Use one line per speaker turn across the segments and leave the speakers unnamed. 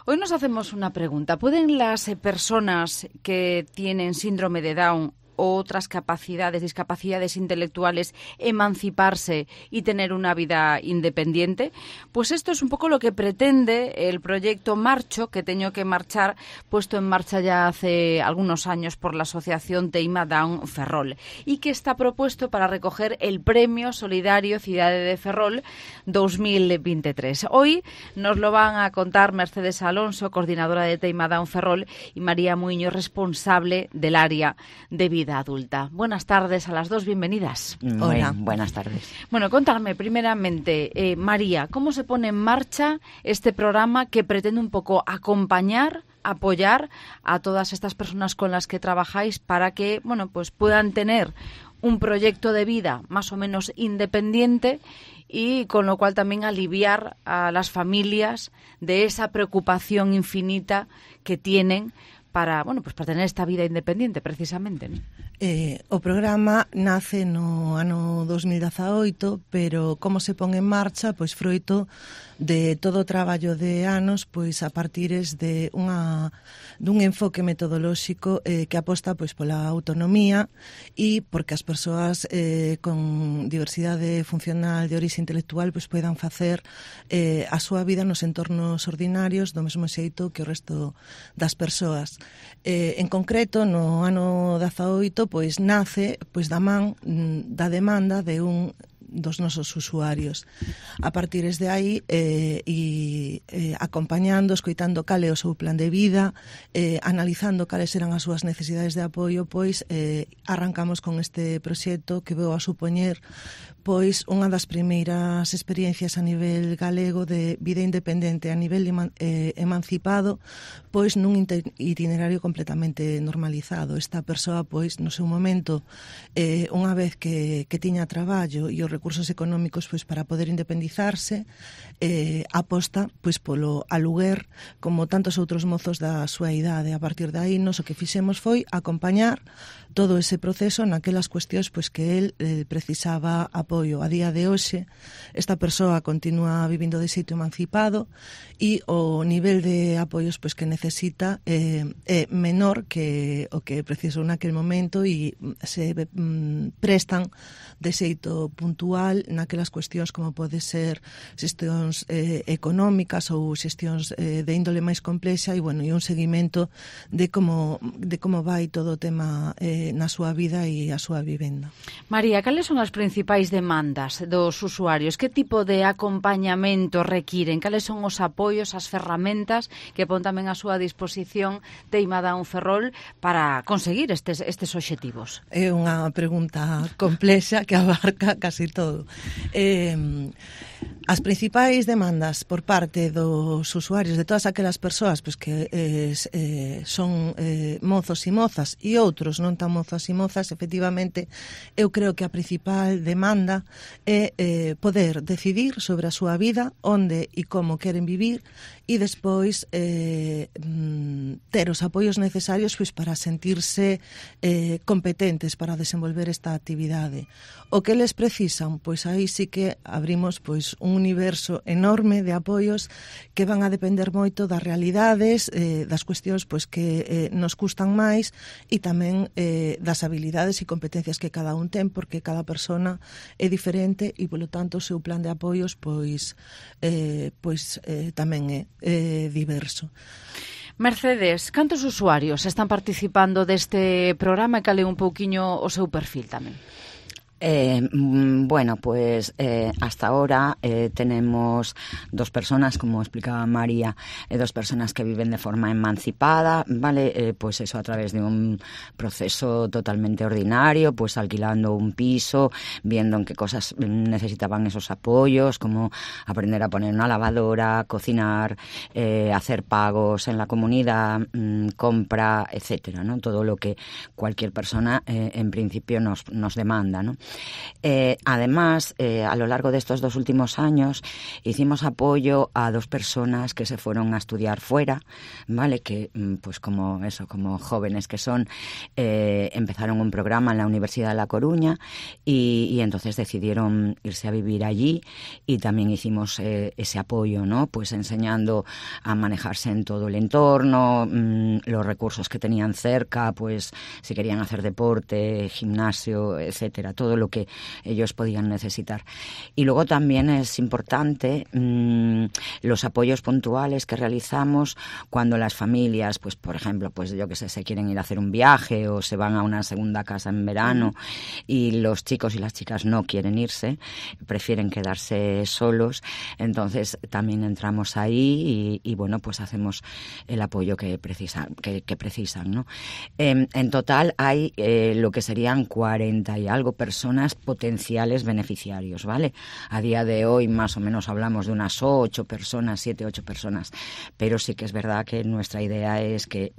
Hoy nos hacemos una pregunta. ¿Pueden las personas que tienen síndrome de Down o otras discapacidades intelectuales, emanciparse y tener una vida independiente? Pues esto es un poco lo que pretende el proyecto Marcho, que teño que marchar, puesto en marcha ya hace algunos años por la asociación Teima Down Ferrol, y que está propuesto para recoger el Premio Solidario Cidade de Ferrol 2023. Hoy nos lo van a contar Mercedes Alonso, coordinadora de Teima Down Ferrol, y María Muiño, responsable del área de vida adulta. Buenas tardes a las dos, bienvenidas.
Hola. Buenas tardes.
Bueno, contadme primeramente, María, ¿cómo se pone en marcha este programa que pretende un poco acompañar, apoyar a todas estas personas con las que trabajáis para que, bueno, pues puedan tener un proyecto de vida más o menos independiente y con lo cual también aliviar a las familias de esa preocupación infinita que tienen para tener esta vida independiente, precisamente, ¿no?
O programa nace no ano 2018, pero como se pon en marcha, pois froito de todo o traballo de anos, pois a partires de dun enfoque metodolóxico que aposta pois pola autonomía e porque as persoas con diversidade funcional de orixe intelectual pois poidan facer a súa vida nos entornos ordinarios do mesmo xeito que o resto das persoas. En concreto, no ano 18, pois nace pois da man da demanda de un dos nosos usuarios. A partires de aí acompañando, escoitando cal é o seu plan de vida, analizando cales eran as súas necesidades de apoio, pois arrancamos con este proxecto que veu a supoñer pois unha das primeiras experiencias a nivel galego de vida independente a nivel emancipado, pois nun itinerario completamente normalizado. Esta persoa, pois, no seu momento, unha vez que tiña traballo e os recursos económicos pois para poder independizarse, aposta pois polo aluguer como tantos outros mozos da súa idade. A partir de aí, nos o que fixemos foi acompañar todo ese proceso naquelas cuestións pois que el precisaba apoio. A día de hoxe, esta persoa continúa vivindo de xeito emancipado e o nivel de apoios pois que necesita é menor que o que precisou naquel momento e se prestan de xeito puntual naquelas cuestións como pode ser xestións económicas ou xestións de índole máis complexa e un seguimento de como vai todo o tema na súa vida e a súa vivenda.
María, cales son as principais demandas dos usuarios? Que tipo de acompañamento requiren? Cales son os apoios, as ferramentas que pon tamén a súa disposición Teima Down Ferrol para conseguir estes obxectivos?
É unha pregunta complexa que abarca casi todo. As principais demandas por parte dos usuarios, de todas aquelas persoas pois que son mozos e mozas e outros non tan mozos e mozas, efectivamente, eu creo que a principal demanda é poder decidir sobre a súa vida, onde e como queren vivir e despois ter os apoios necesarios pois para sentirse competentes para desenvolver esta actividade. O que eles precisan, pois aí sí que abrimos pois un universo enorme de apoios que van a depender moito das realidades, das cuestións pois que nos custan máis e tamén das habilidades e competencias que cada un ten, porque cada persona é diferente e, polo tanto, o seu plan de apoios pois tamén é diverso.
Mercedes, cantos usuarios están participando deste programa e cal é un pouquiño o seu perfil tamén?
Bueno, pues hasta ahora tenemos 2 personas, como explicaba María, 2 personas que viven de forma emancipada, ¿vale? Pues eso a través de un proceso totalmente ordinario, pues alquilando un piso, viendo en qué cosas necesitaban esos apoyos, como aprender a poner una lavadora, cocinar, hacer pagos en la comunidad, compra, etcétera, ¿no? Todo lo que cualquier persona en principio nos demanda, ¿no? Además, a lo largo de estos 2 últimos años hicimos apoyo a 2 personas que se fueron a estudiar fuera, ¿vale? Que pues como jóvenes que son, empezaron un programa en la Universidad de La Coruña y entonces decidieron irse a vivir allí, y también hicimos ese apoyo, ¿no? Pues enseñando a manejarse en todo el entorno, los recursos que tenían cerca, pues si querían hacer deporte, gimnasio, etcétera, todo lo que ellos podían necesitar. Y luego también es importante los apoyos puntuales que realizamos cuando las familias, pues por ejemplo, pues yo que sé, se quieren ir a hacer un viaje o se van a una segunda casa en verano y los chicos y las chicas no quieren irse, prefieren quedarse solos. Entonces también entramos ahí y bueno, pues hacemos el apoyo que precisan, ¿no? En total hay lo que serían 40 y algo personas potenciales beneficiarios, ¿vale? A día de hoy más o menos hablamos de unas 7, 8 personas, pero sí que es verdad que nuestra idea es que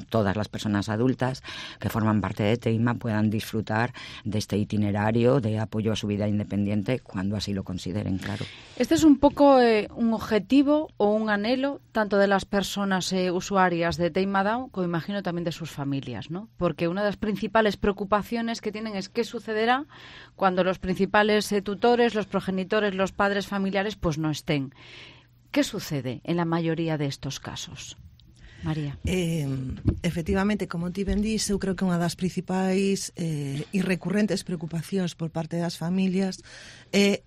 todas las personas adultas que forman parte de Teima puedan disfrutar de este itinerario de apoyo a su vida independiente cuando así lo consideren, claro.
Este es un poco un objetivo o un anhelo tanto de las personas usuarias de Teima Down como imagino también de sus familias, ¿no? Porque una de las principales preocupaciones que tienen es qué sucederá cuando los principales tutores, los progenitores, los padres familiares pues no estén. ¿Qué sucede en la maioría de estos casos? María.
Efectivamente, como ti ben dís, eu creo que unha das principais e recurrentes preocupacións por parte das familias é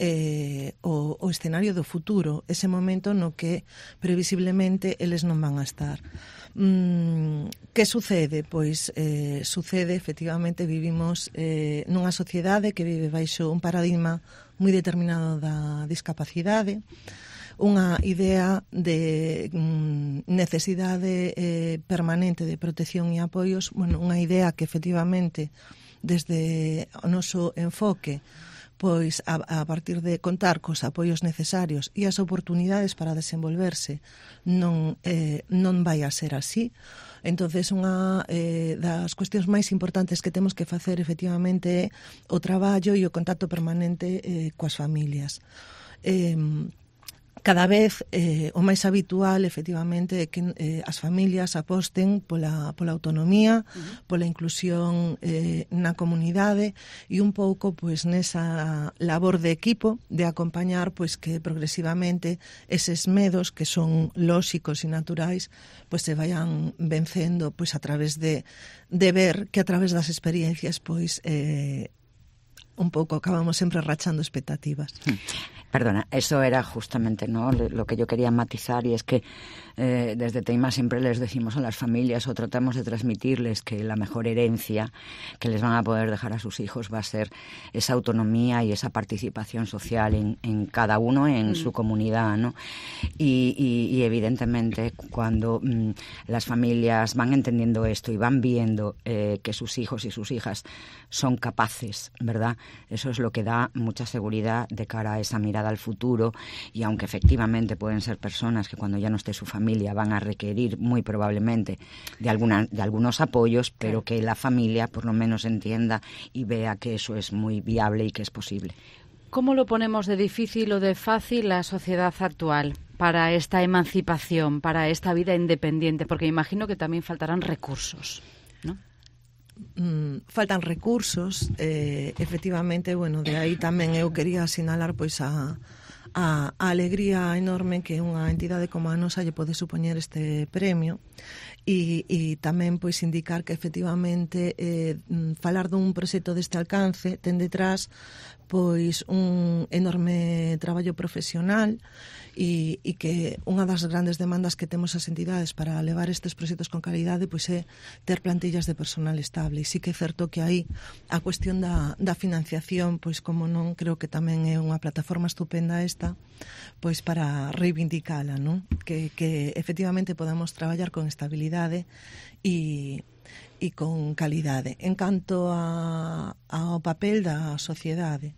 o escenario do futuro, ese momento no que previsiblemente eles non van a estar. Que sucede? Pois sucede, efectivamente, vivimos nunha sociedade que vive baixo un paradigma moi determinado da discapacidade, unha idea de necesidade permanente de protección e apoios, bueno, unha idea que efectivamente desde o noso enfoque pois a partir de contar cos apoios necesarios e as oportunidades para desenvolverse non vai a ser así. Entonces, unha das cuestións máis importantes que temos que facer efectivamente é o traballo e o contacto permanente coas familias. Cada vez o máis habitual, efectivamente, é que as familias aposten pola autonomía, pola inclusión na comunidade e un pouco pois nesa labor de equipo de acompañar pois que progresivamente eses medos que son lóxicos e naturais pois se vayan vencendo pois a través de ver que a través das experiencias pois un pouco acabamos sempre rachando expectativas.
Perdona, eso era justamente, ¿no?, lo que yo quería matizar, y es que desde Teima siempre les decimos a las familias o tratamos de transmitirles que la mejor herencia que les van a poder dejar a sus hijos va a ser esa autonomía y esa participación social en cada uno, en su comunidad, ¿no? Y evidentemente cuando las familias van entendiendo esto y van viendo que sus hijos y sus hijas son capaces, ¿verdad? Eso es lo que da mucha seguridad de cara a esa mirada al futuro, y aunque efectivamente pueden ser personas que cuando ya no esté su familia van a requerir muy probablemente de algunos apoyos, pero que la familia por lo menos entienda y vea que eso es muy viable y que es posible.
¿Cómo lo ponemos de difícil o de fácil la sociedad actual para esta emancipación, para esta vida independiente? Porque imagino que también faltarán recursos, ¿no?
Faltan recursos, efectivamente, bueno, de aí tamén eu quería sinalar pois a alegría enorme que unha entidade como a nosa lle pode supoñer este premio e tamén pois indicar que efectivamente falar dun proxecto deste alcance ten detrás pois un enorme traballo profesional e que unha das grandes demandas que temos as entidades para levar estes proxectos con calidade pois é ter plantillas de personal estable. E sí que é certo que aí a cuestión da financiación, pois como non, creo que tamén é unha plataforma estupenda esta pois para reivindicala, non? Que efectivamente podamos traballar con estabilidade e con calidade. En canto ao papel da sociedade,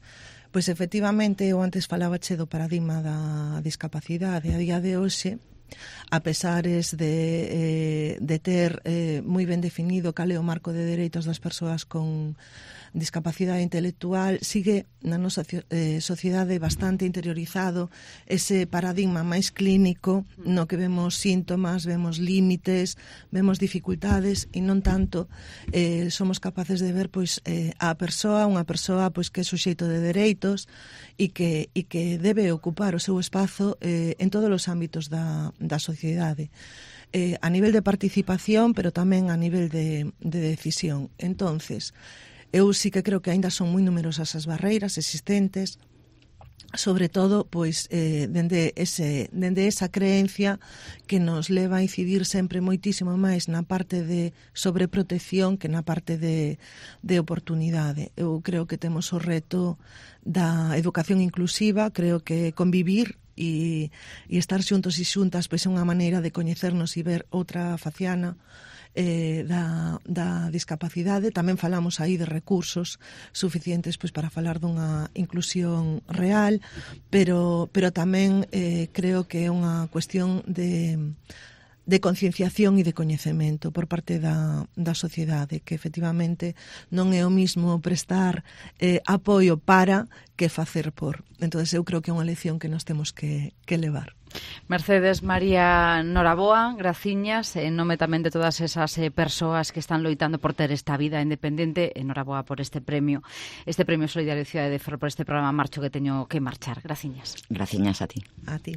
pois efectivamente eu antes falabache do paradigma da discapacidade. A día de hoxe, a pesares de ter moi ben definido cal é o marco de dereitos das persoas con discapacidade intelectual, sigue na nosa sociedade bastante interiorizado ese paradigma máis clínico no que vemos síntomas, vemos límites, vemos dificultades e non tanto somos capaces de ver pois a persoa, unha persoa pois que é suxeito de dereitos e que debe ocupar o seu espazo en todos os ámbitos da sociedade. A nivel de participación, pero tamén a nivel de decisión. Entonces, eu sí que creo que aínda son moi numerosas as barreiras existentes, sobre todo pois dende esa creencia que nos leva a incidir sempre moitísimo máis na parte de sobreprotección que na parte de oportunidade. Eu creo que temos o reto da educación inclusiva, creo que convivir e estar xuntos e xuntas pois é unha maneira de coñecernos e ver outra faciana da discapacidade. Tamén falamos aí de recursos suficientes pois para falar dunha inclusión real, pero tamén creo que é unha cuestión de concienciación e de coñecemento por parte da sociedade, que efectivamente non é o mismo prestar apoio para que facer por. Entón, eu creo que é unha lección que nos temos que levar.
Mercedes María Noraboa, graciñas, en nome tamén de todas esas persoas que están loitando por ter esta vida independente. Noraboa por este premio Solidaridade de Ferrol, por este programa Marcho que teño que marchar. Graciñas.
Graciñas a ti.
A ti.